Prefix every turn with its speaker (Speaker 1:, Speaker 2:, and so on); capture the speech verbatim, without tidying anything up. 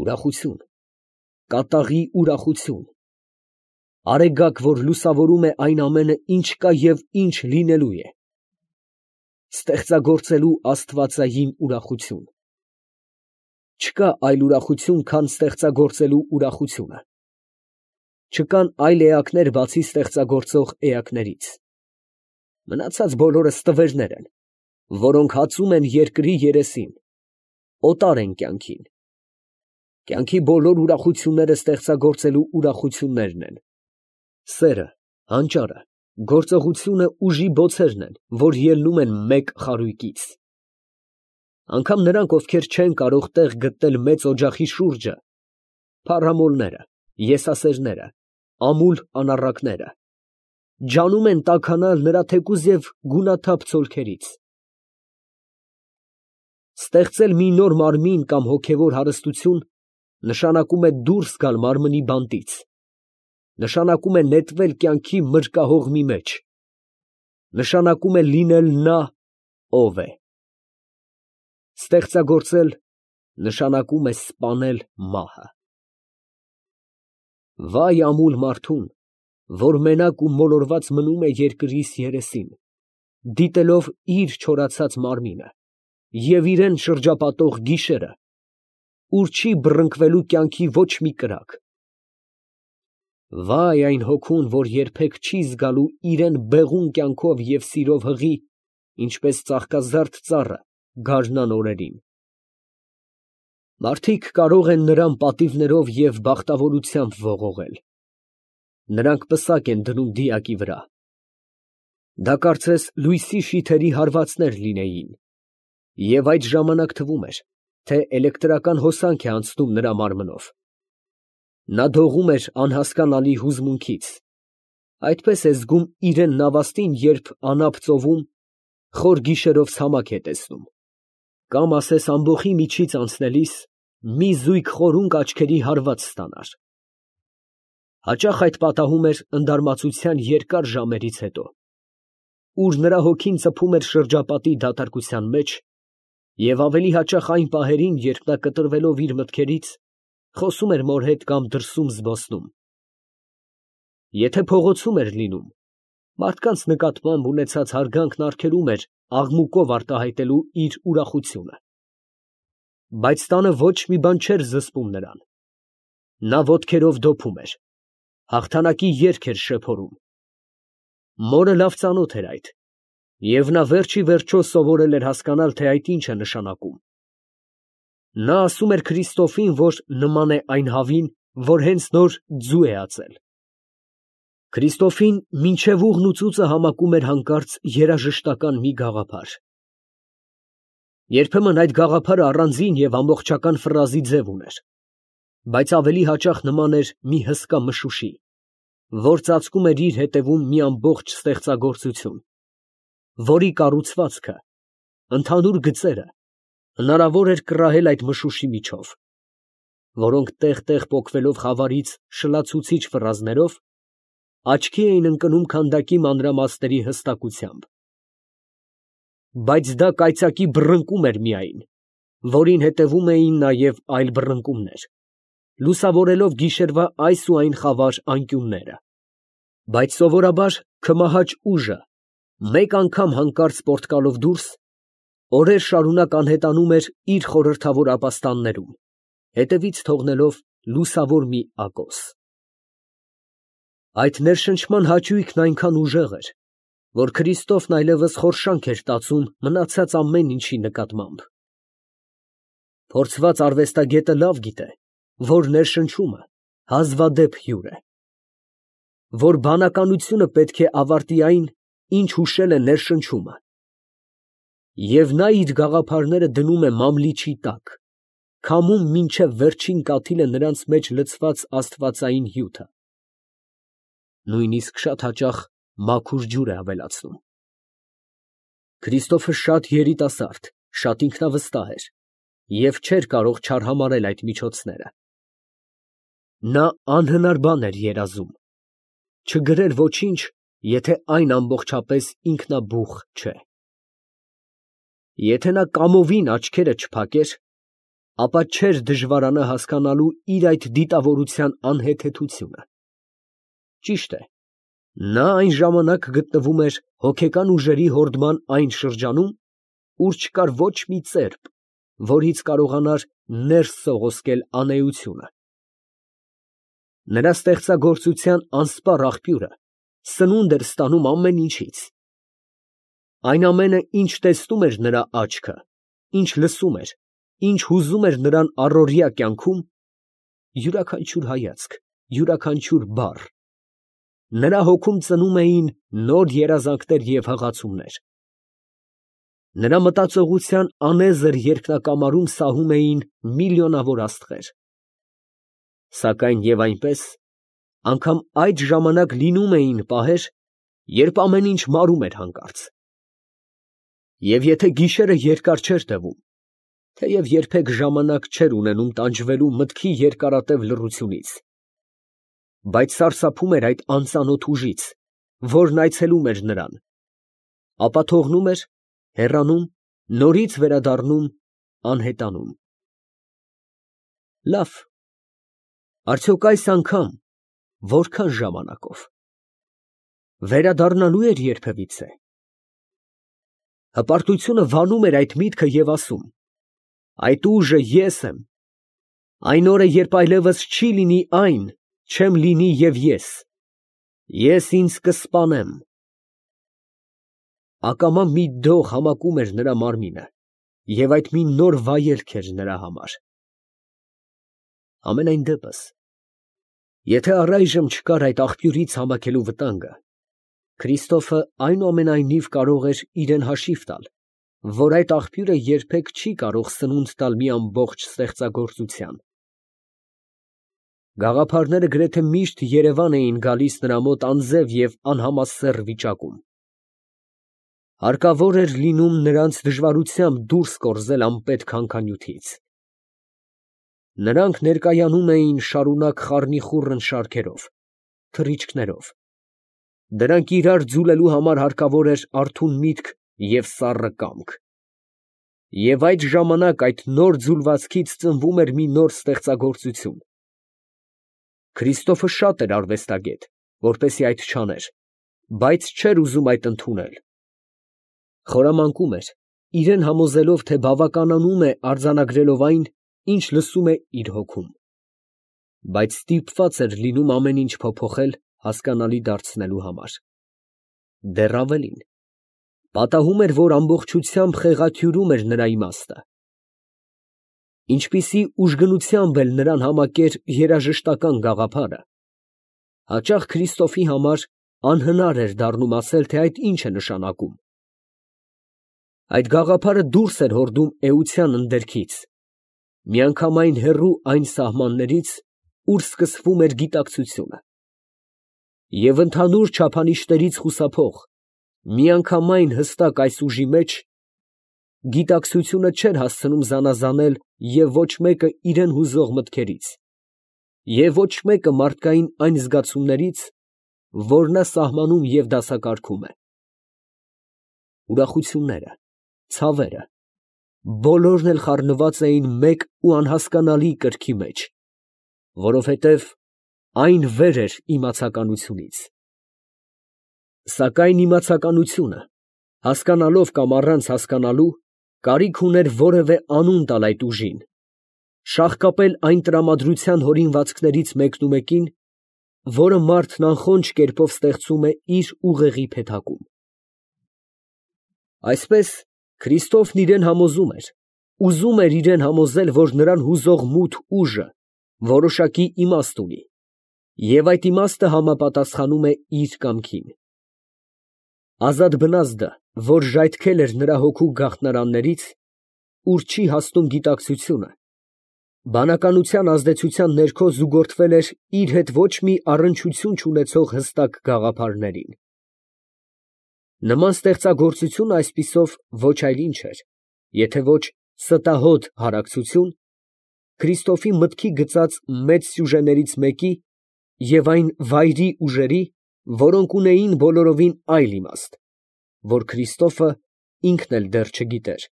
Speaker 1: Ուրախություն, կատաղի ուրախություն, արեգակ, որ լուսավորում է այն ամենը, ինչ կա և ինչ լինելու է, ստեղծագործելու աստվածային ուրախություն։ Չկա այլ ուրախություն, քան ստեղծագործելու ուրախությունը։ Չկան այլ էակներ, բացի ստեղծագործող էակներից։ Մնացած բոլորը ստվերներ են, որոնք հածում են երկրի երեսին, օտար են կյանքին։ Կյանքի բոլոր ուրախությունները ստեղծագործելու ուրախություններն են։ Սերը, հանճարը, գործողությունը ուժի բոցերն են, որ ելնում են մեկ խարույկից։ Անգամ նրանք, ովքեր չեն կարող տեղ գտնել մեծ օջախի շուրջը, փառամոլները, եսասերները, ամուլ անառակները, ջանում են տաքանալ նրա թեկուզ և գունաթափ ցոլքերից։ Ստեղծել մի նոր մարմին կամ հոգևոր հարստություն նշանակում է դուրս գալ մարմնի բանտից, նշանակում է նետվել կյանքի մրկահողմի մեջ, նշանակում է լինել նա, ով է։ Ստեղծագործել նշանակում է սպանել մահը։ Վայ ամուլ մարդուն, որ մենակ ու մոլորված մնում է երկրիս երեսին, դիտելով իր չորացած մարմինը և իրան շրջապատող գիշերը, ուր չի բռնկվելու կյանքի ոչ մի կրակ։ Վայ այն հոգուն, որ երբեք չի զգալու իրան բեղուն կյանքով և սիրով հղի, ինչպես ծաղկազարդ ծառը գարնան օրերին։ Մարդիկ կարող են նրան պատիվներով և բախտավորությամբ ողողել։ Նրանք պսակ են դնում դիակի վրա։ Դա կարծես լույսի շիթերի հարվածներ լինեին, և այդ ժամանակ թվում էր, թե էլեկտրական հոսանք է անցնում նրա մարմնով։ Նա դողում էր անհասկանալի հուզմունքից, այդպես է զգում իրան նավաստին, երբ անապ ծովում, խոր գիշերով ցամաք է տեսնում, կամ ասես ամբոխի միջից անցնելիս մի զույգ խորունկ աչքերի հարված ստանար։ Հաճախ այդ պատահում էր ընդարմացության երկար ժամերից հետո, ուր նրա հոգին ծփում էր շրջապատի դատարկության մեջ, և ավելի հաճախ այն պահերին, երբ նա կտրվելով իր մտքերից, խոսում էր մոր հետ կամ դրսում զբոսնում։ Եթե փողոցում էր լինում, մարդկանց նկատմամբ ունեցած հարգանքն արգելում էր աղմուկով արտահայտելու իր ուրախությունը։ Բայց տանը ոչ մի բան չէր զսպում նրան։ Նա ոտքերով դոփում էր, հաղթանակի երգ էր շեփորում։ Մորը լավ ծանոթ էր այդ, և նա վերջիվերջո սովորել էր հասկանալ, թե այդ ինչ է նշանակում։ Նա ասում էր Քրիստոֆին, որ նման է այն հավին, որ հենց նոր ձու է ածել։ Քրիստոֆին մինչև ուղն ու ծուծը համակում էր հանկարծ երաժշտական մի գաղափար։ Երբեմն այդ գաղափարը առանձին և ամբողջական ֆրազի ձև ուներ, բայց ավելի հաճախ նման էր մի հսկա մշուշի, որ ծածկում էր իր ետևում մի ամբողջ ստեղծագործություն, որի կառուցվածքը, ընդհանուր գծերը հնարավոր էր կռահել այդ մշուշի միջով, որոնք տեղ֊տեղ պոկվելով խավարից շլացուցիչ ֆրազներով, աչքի էին ընկնում քանդակի մանրամասների հստակությամբ։ Բայց դա կայծակի բռնկում էր միայն, որին հետևում էին նաև այլ բռնկումներ, լուսավորելով գիշերվա այս ու այն խավար անկյունները։ Բայց սովորաբար քմահաճ ուժը, մեկ անգամ հանկարծ պոռթկալով դուրս, օրեր շարունակ անհետանում էր իր խորհրդավոր ապաստաններում, հետևից թողնելով լուսավոր մի ակոս։ Այդ ներշնչման հաճույքն այնքան ուժեղ էր, որ Քրիստոֆն այլևս խորշանք էր տածում մնացած ամեն ինչի նկատմամբ։ Փորձված արվեստագետը լավ գիտե, որ ներշնչումը հազվադեպ հյուր է, որ բանականությունը պետք է ավարտի այն, ինչ հուշել է ներշնչումը, և նա իր գաղափարները դնում է մամլիչի տակ, քամում մինչև վերջին կաթիլը նրանց մեջ լցված աստվածային հյութը, նույնիսկ շատ հաճախ մաքուր ջուր է ավելացնում։ Քրիստոֆը շատ երիտասարդ, շատ ինքնավստահ էր և չէր կարող չարհամարհել այդ միջոցները։ Նա անհնար բան էր երազում, չգրեր ոչինչ, եթե այն ամբողջապես ինքնաբուխ չէ։ Եթե նա կամովին աչքերը չփակեր, ապա չէր դժվարանա հասկանալու իր այդ դիտավորության անհեթեթությունը։ Ճիշտ է, նա այն ժամանակ գտնվում էր հոգեկան ուժերի հորդման այն շրջանում, ուր չկար ոչ մի ծերբ, որից կարողանար ներս սողոսկել անէությունը։ Նրա ստեղծագործության անսպառ աղբյուրը սնունդ էր ստանում ամեն ինչից։ Այն ամենը, ինչ տեսնում էր նրա աչքը, ինչ լսում էր, ինչ հուզում էր նրան առօրյա կյանքում, յուրաքանչյուր հայացք, յուրաքանչյուր բառ, նրա հոգում ծնում էին նոր երազանքներ և հղացումներ։ Նրա մտածողության անեզր երկնակամարում սահում էին միլիոնավոր աստղեր։ Սակայն և այնպես, անգամ այդ ժամանակ լինում էին պահեր, երբ ամեն ինչ մարում էր հանկարծ։ Եվ եթե գիշերը երկար չէր տևում, թեև երբեք ժամանակ չէր ունենում տանջվելու մտքի երկարատև լռությունից, բայց սարսափում էր այդ անծանոթ ուժից, որն այցելում էր նրան, ապա թողնում էր, հեռանում, նորից վերադառնում, անհետանում։ Լավ, արդյոք այս անգամ որքան ժամանակով վերադառնալու էր երբևիցե։ Հպարտությունը վանում էր այդ միտքը և ասում. այդ ուժը ես եմ, այն օրը, երբ այլևս չի լինի այն, չեմ լինի և ես, ես ինձ կսպանեմ։ Ակամա մի դող համակում էր նրա մարմինը, և այդ մի նոր վայելք էր նրա համար։ Համենայն դեպս, եթե առայժմ չկար այդ աղբյուրից համակելու վտանգը, Քրիստոֆը այնուամենայնիվ կարող էր իրան հաշիվ տալ, որ այդ աղբյուրը երբեք չի կարող սնունդ տալ մի ամբողջ ստեղծագործության։ Գաղափարները գրեթե միշտ երևան էին գալիս նրա մոտ անձև և անհամասեռ վիճակում։ Հարկավոր էր լինում նրանց դժվարությամբ դուրս կորզել անպետք հանքանյութից։ Նրանք ներկայանում էին շարունակ խառնիխուռն շարքերով, թռիչքներով։ Դրանք իրար ձուլելու համար հարկավոր էր արթուն միտք և սառը կամք։ Եվ այդ ժամանակ այդ նոր ձուլվածքից ծնվում էր մի նոր ստեղծագործություն։ Քրիստոֆը շատ էր արվեստագետ, որպեսզի այդ չաներ, բայց չէր ուզում այդ ընդունել։ Խորամանկում էր, իրան համոզելով, թե բավականանում է արձանագրելով այն, ինչ լսում է իր հոգում, բայց ստիպված էր լինում ամեն ինչ փոփոխել հասկանալի դարձնելու համար։ Դեռ ավելին, պատահում էր, որ ամբողջությամբ խեղաթյուրում էր նրա իմաստը։ Ինչպիսի ուժգնությամբ էլ նրան համակեր երաժշտական գաղափարը, հաճախ Քրիստոֆի համար անհնար էր դառնում ասել, թե այդ ինչ է նշանակում։ Այդ գաղափարը դուրս էր հորդում էության ընդերքից, միանգամայն հեռու այն սահմաններից, ուր սկսվում էր գիտակցությունը, և ընդհանուր չափանիշներից խուսափող, միանգամայն հստակ այս ուժի մեջ, գիտակցությունը չէր հասցնում զանազանել և ոչ մեկը իրան հուզող մտքերից, և ոչ մեկը մարդկային այն զգացումներից, որ նա սահմանում և դասակարգում է։ Ուրախությունները, ցավերը, բոլորն էլ խառնված էին մեկ ու անհասկանալի կրքի մեջ, որովհետև այն վեր էր իմացականությունից։ Սակայն իմացականությունը, հասկանալով կամ առանց հասկանալու, կարիք ուներ որևէ անուն տալ այդ ուժին, շաղկապել այն տրամադրության հորինվածքներից մեկնումեկին, որը մարդն անխոնջ կերպով ստեղծում է իր ուղեղի փեթակում։ Այսպես Քրիստոֆն իրան համոզում էր, ուզում էր իրան համոզել, որ նրան հուզող մութ ուժը որոշակի իմաստ ունի, և այդ իմաստը համապատասխանում է իր կամքին։ Ազատ բնազդը, որ ժայթքել էր նրա հոգու գաղտնարաններից, ուր չի հասնում գիտակցությունը, բանականության ազդեցության ներքո զուգորդվել էր իր հետ ոչ մի առնչություն չունեցող հստակ գաղափարներին։ Նման ստեղծագործություն այսպիսով ոչ այլ ինչ էր, եթե ոչ ստահոդ հարակցություն Քրիստոֆի մտքի գծած մեծ սյուժեներից մեկի և այն վայրի ուժերի, որոնք ունեին բոլորովին այլ իմաստ, որ Քրիստոֆը ինքն էլ դեռ չգիտեր։